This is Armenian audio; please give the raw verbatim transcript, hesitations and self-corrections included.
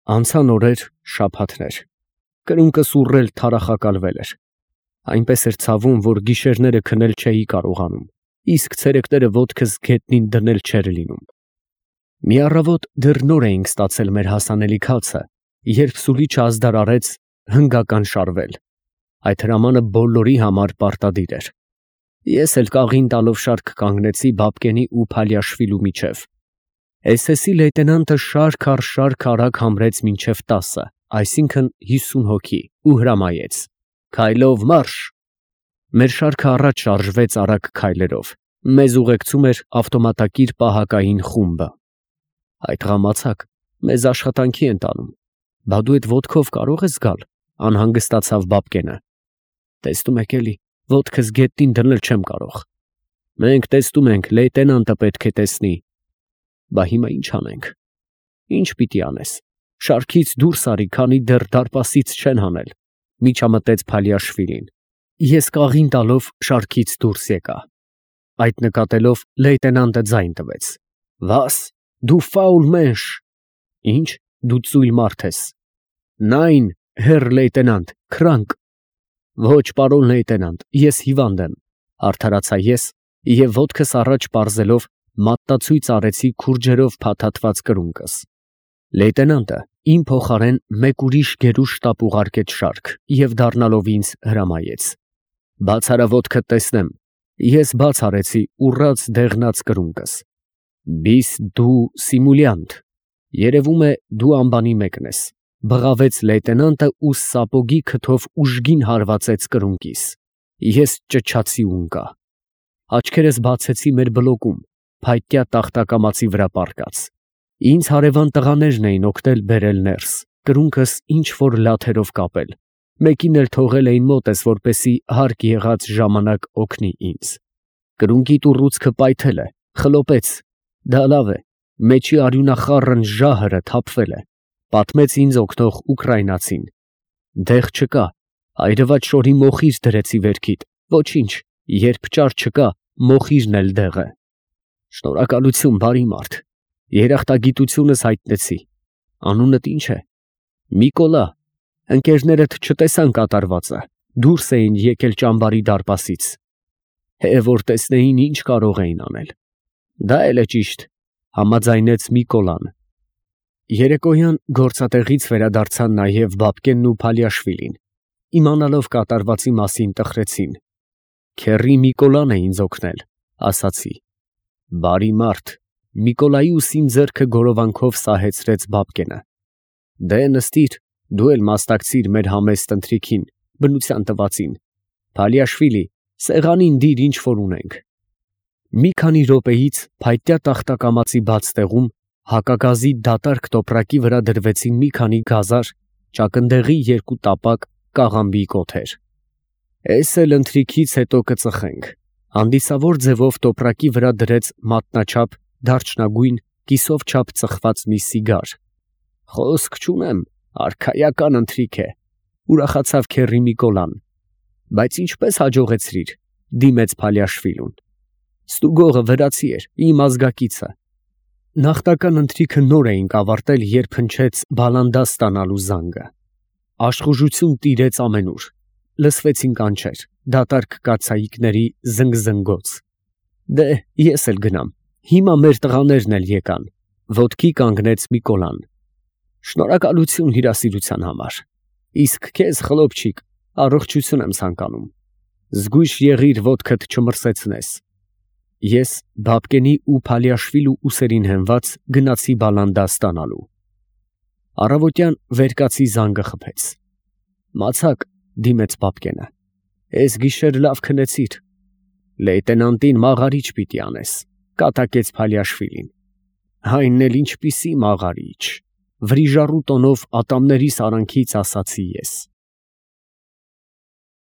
Անցան օրեր, շաբաթներ, կրունկը սուռել թարախակալվել էր, այնպես էր ցավում, որ գիշերները քնել չէի կարողանում, իսկ ցերեկները ոտքս գետնին դնել չէր լինում։ Մի առավոտ դեռ նոր էինք ստացել մեր հասանելի քացը, երբ Սուրիչը ազդար արեց հնգական շարվել, այդ հրամանը բոլորի համար պարտադիր էր։ Ես էլ կաղին տալով շարք կանգնեցի Բաբկենի ու Փալիաշվիլու միջև։ Էս էսի լեյտենանտը շարք առ շարք արագ համրեց մինչև տասը, այսինքն հիսուն հոգի, ու հրամայեց. «Քայլով մարշ»։ Մեր շարքը առաջ շարժվեց արագ քայլերով, մեզ ուղեկցում էր ավտոմատակիր պահակային խումբը։ «Այդ ղամացակ մեզ աշխատանքի են տանում, բա դու էդ ոտքով կարող ես գալ», անհանգստացավ Բաբկենը։ «Տեսնում եք էլի, ոտքս գետնին դնել չեմ կարող»։ «Մենք տեսնում ենք, լեյտենանտը պետք է տեսնի»։ «Բա հիմա ինչ անենք»։ «Ինչ պիտի անես, շարքից դուրս արի, քանի դեռ դարպասից չեն հանել», միջամտեց Փալիաշվիլին։ Ես կաղին տալով շարքից դուրս եկա։ Այդ նկատելով լեյտենանտը ձայն տվեց. «Վաս, դու ֆաուլ մենշ»։ «Ինչ, դու ծույլ մարդ ես»։ «Նայն, հերր լեյտենանտ, քրանկ»։ «Ոչ, պարոն լեյտենանտ, ես հիվանդ եմ», արդարացա ես և ոտքս առաջ պարզելով մատնացույց արեցի քուրջերով փաթաթված կրունկս։ Լեյտենանտը իմ փոխարեն մեկ ուրիշ գերուժ շտապ ուղարկեց շարք և դառնալով ինձ հրամայեց. «Բաց արա ոտքդ տեսնեմ»։ Ես բաց արեցի ուռած դեղնած կրունկս։ «Բիս դու սիմուլյանտ, երևում է դու ամբանի մեկն ես», բղավեց լեյտենանտը ու սապոգի քթով ուժգին հարվածեց կրունկիս։ Ես ճչացի ու ընկա։ Աչքերս բացեցի մեր բլոկում, փայտյա տախտակամածի վրա պառկած։ Ինձ հարևան տղաներն էին օգնել բերել ներս, կրունկս ինչ որ լաթերով կապել, մեկին էլ թողել էին մոտս, որպեսզի հարկ եղած ժամանակ օգնի ինձ։ Կրունկի տուռուցքը պայթել է, խլոպեց, դա լավ է, մեջի արյունախառն ժահրը թափվել է, պատմեց ինձ օգնող ուկրաինացին։ Դեղ չկա, այրված շորի մոխիր դրեցի վերքիդ, ոչինչ, երբ ճար չկա, մոխիրն էլ դեղ է։ Շնորհակալություն, բարի մարդ, երախտագիտությունս հայտնեցի։ Անունդ ի՞նչ է։ Միկոլա։ Ընկերներդ չտեսան կատարվածը, դուրս էին եկել ճամբարի դարպասից։ Է, որ տեսնեին, ինչ կարող էին անել։ Դա էլ է ճիշտ, համաձայնեց Միկոլան։ Երեկոյան գործատեղից վերադարձան նաև Բաբկենն ու Փալիաշվիլին, իմանալով կատարվածի մասին տխրեցին։ Քեռի Միկոլան է ինձ օգնել, ասացի։ Բարի մարդ, Միկոլայի ուսին ձեռքը գորովանքով սահեցրեց Բաբկենը։ Դե նստիր, դու էլ մասնակցիր մեր համեստ ընթրիքին, բնության տվածին։ Փալիաշվիլի, սեղանին դիր ինչ որ ունենք։ Մի քանի րոպեից փայտյա տախտակամածի բաց տեղում հակագազի դատարկ տոպրակի վրա դրվեցին մի քանի գազար, ճակնդեղի երկու տապակ, կաղամբի կոթեր։ Էս էլ ընթրիքից հետո կծխենք։ Հանդիսավոր ձևով տոպրակի վրա դրեց մատնաչափ, դարչնագույն, կիսով չափ ծխված մի սիգար։ Խոսք չունեմ, արքայական ընթրիք է, ուրախացավ քեռի Միկոլան։ Բայց ինչպես հաջողեցրիր, դիմեց Փալիաշվիլուն։ Ստուգողը վրացի էր, իմ ազգակիցը։ Նախնական ընթրիքը նոր էինք ավարտել, երբ հնչեց բալանդա ստանալու զանգը։ Աշխուժություն տիրեց ամենուր, լսվեցին կանչեր, դատարկ կաթսայիկների զնգզնգոց։ Դե, ես էլ գնամ, հիմա մեր տղաներն էլ եկան, ոտքի կանգնեց Միկոլան։ Շնորհակալություն հյուրասիրության համար, իսկ քեզ խլոպչիկ, առողջություն եմ ցանկանում։ Զգույշ եղիր ոտքդ չմրսեցնես։ Ես Բաբկենի ու Փալիաշվիլու ուսերին հենված գնացի բալանդա ստանալու։ Առավոտյան վերկացի զանգը խփեց։ Մացակ, դիմեց Բաբկենը, էս գիշեր լավ քնեցիր։ Լեյտենանտին մաղարիչ պիտի անես, կատակեց Փալիաշվիլին։ Այն էլ ինչպիսի մաղարիչ, վրիժառու տոնով ատամներիս արանքից ասացի ես։